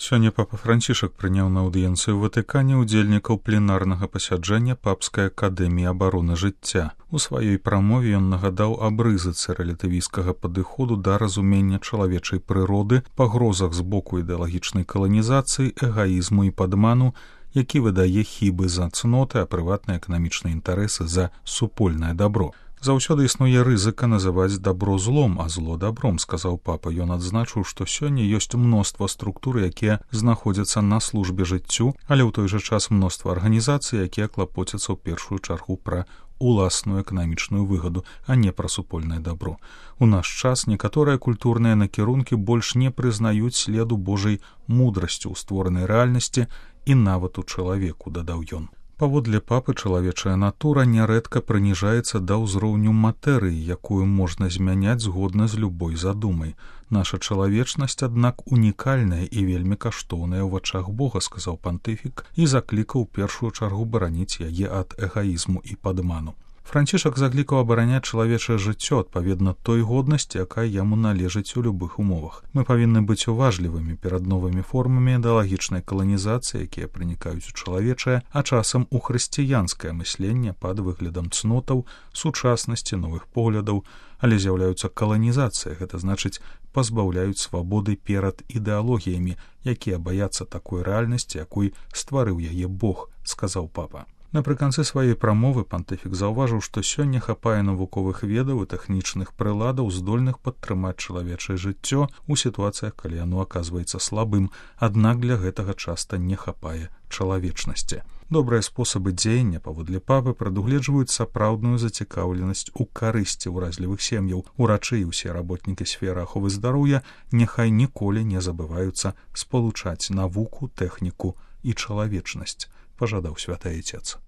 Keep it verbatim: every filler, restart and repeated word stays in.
Сёння папа Францішак прыняў на аўдыенцыі ў Ватыкане ўдзельнікаў пленарнага пасяджэння Папскай акадэміі абароны жыцця. У сваёй прамове ён нагадаў аб рызыцы рэлятывісцкага падыходу да разумення чалавечай прыроды, пагрозах з боку ідэалагічнай каланізацыі, эгаізму і падману, які выдае хібы за цноты, а прыватныя эканамічныя інтарэсы за супольнае дабро. Заўсёды існуе рызыка называць дабро злом, а зло дабром, сказаў папа. Ён адзначыў, што сёння ёсць мноства структур, якія знаходзяцца на службе жыццю, але ў той жа час мноства арганізацый, якія клапоцяцца ў першую чаргу пра уласную эканамічную выгаду, а не пра супольнае дабро. У наш час некаторыя культурныя накірункі больш не прызнаюць следу Божай мудрасці ў створанай рэальнасці і нават у чалавеку, дадаў ён. Паводле папы, чалавечая натура нярэдка прыніжаецца да ўзроўню матэрыі, якую можна змяняць згодна з любой задумай. Наша чалавечнасць, аднак, унікальная і вельмі каштоўная ў вачах Бога, сказаў пантыфік і заклікаў у першую чаргу бараніць яе ад эгаізму і падману. Францішак заклікаў абараняць чалавечае жыццё адпаведна той годнасці, якая яму належыць у любых умовах. Мы павінны быць уважлівымі перад новымі формамі ідэалагічнай каланізацыі, якія пранікаюць у чалавечае, а часам у хрысціянскае мысленне пад выглядам цнотаў, сучаснасці, новых поглядаў, але з'яўляюцца каланізацыя, гэта значыць пазбаўляюць свабоды перад ідэалогіямі, якія баяцца такой рэальнасці, якой стварыў яе Бог, сказаў папа. Напрыканцы сваёй прамовы пантыфік заўважыў, што сёння хапае навуковых ведаў і тэхнічных прыладаў, здольных падтрымаць чалавечае жыццё ў сітуацыях, калі яно аказваецца слабым, аднак для гэтага часта не хапае чалавечнасці. Добрыя спосабы дзеяння, паводле папы, прадугледжваюць сапраўдную зацікаўленасць у карысці ўразлівых сем'яў. Урачы і ўсе работнікі сферы аховы здароўя няхай ніколі не забываюцца спалучаць навуку, тэхніку і чалавечнасць, пажадаў святы Айцец.